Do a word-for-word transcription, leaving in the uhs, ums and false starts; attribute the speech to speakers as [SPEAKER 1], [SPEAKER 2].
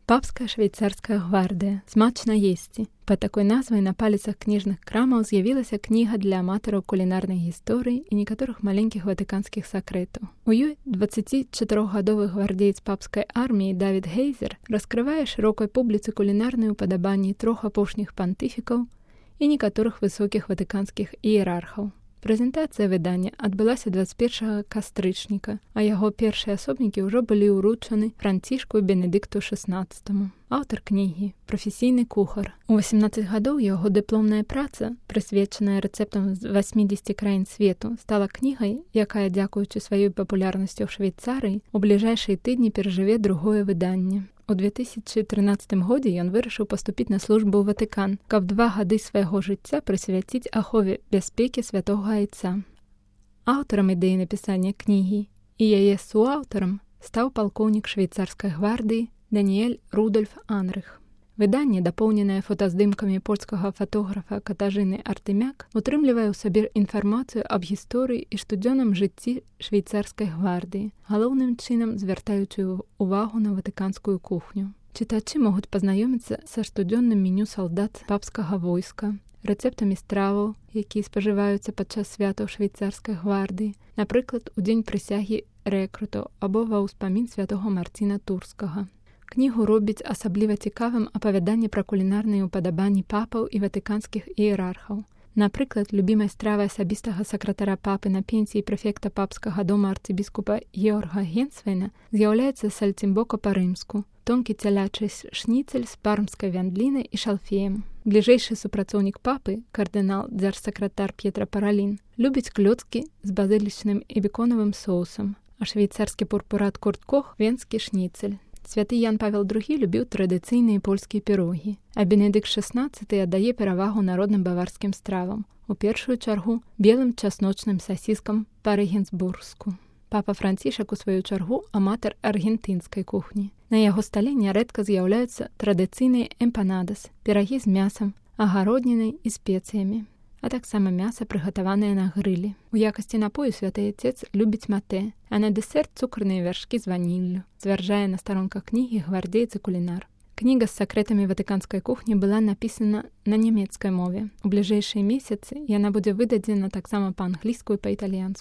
[SPEAKER 1] Папская швейцарская гвардыя. Смачна есці. Пад такой назвай на паліцах кніжных крамаў з'явілася кніга для аматараў кулінарнай гісторыі і некаторых маленькіх ватыканскіх сакрэтаў. У ёй дваццацічатырохгадовы гвардзеец папскай арміі Давід Гейзер раскрывае шырокай публіцы кулінарныя ўпадабанні трох апошніх пантыфікаў і некаторых высокіх ватыканскіх іерархаў. Прэзентацыя выдання адбылася дваццаць першага кастрычніка, а яго першыя асобнікі ўжо былі ўручаны Францішку Бенедыкту шаснаццатаму. Аўтар кнігі – прафесійны кухар. У васемнаццаць гадоў яго дыпломная праца, прысвечаная рэцэптам з васьмідзесяці краін свету, стала кнігай, якая, дзякуючы сваёй папулярнасцю ў Швейцарыі, у бліжэйшыя тыдні перажыве другое выданне. У две тысячы трынаццатым годзе ён вырашыў паступіць на службу ў Ватыкан, каб два гады свайго жыцця прысвяціць ахове бяспекі святога айца. Аўтарам ідэі напісання кнігі і яе суаўтарам стаў палкоўнік швейцарскай гвардыі Даніэль Рудольф Анрых. Выданне, дапоўненае фотаздымкамі польскага фатографа Катажыны Артэмяк, утрымлівае ў сабе інфармацыю аб гісторыі і штодзённым жыцці швейцарскай гвардыі, галоўным чынам звяртаючы ўвагу на ватыканскую кухню. Чытачы могуць пазнаёміцца са штодзённым меню салдат папскага войска, рэцэптамі страваў, якія спажываюцца падчас святаў швейцарскай гвардыі, напрыклад, у дзень прысягі рэкрутаў або ва ўспамін святога Марціна Турскага. Кнігу робіць асабліва цікавым апавяданне пра кулінарныя ўпадабанні папаў і ватыканскіх іерархаў. Напрыклад, любімай стравай асабістага сакратара папы на пенсіі прэфекта папскага дома арцыбіскупа Георга Генсвейна з'яўляецца сальцімбока па-рымску, тонкі цялячы шніцель з пармскай вяндлінай і шалфеем. Бліжэйшы супрацоўнік папы, кардынал дзяржсакратар П'етра Паралін, любіць клёцкі з базылічным і беконавым соусам, а швейцарскі пурпурат Курт Кох – венскі шніцель. Святы Ян Павел другі любіў традыцыйныя польскія пірогі, а Бенедыкт шаснаццаты аддае перавагу народным баварскім стравам, у першую чаргу белым часночным сасіскам па-рэгенсбургску. Папа Францішак, у сваю чаргу, аматар аргентынскай кухні. На яго стале нярэдка з'яўляюцца традыцыйныя эмпанадас, пірагі з мясам, агароднінай і спецыямі, а таксама мяса, прыгатаванае на грылі. У якасці напою святы айцец любіць матэ, а на дэсерт цукрныя вяршкі з ваніллю, сцвярджае на старонках кнігі гвардзеец і кулінар. Кніга з сакрэтамі ватыканскай кухні была напісана на нямецкай мове. У бліжэйшыя месяцы яна будзе выдадзена таксама па-англійску і па-італьянску.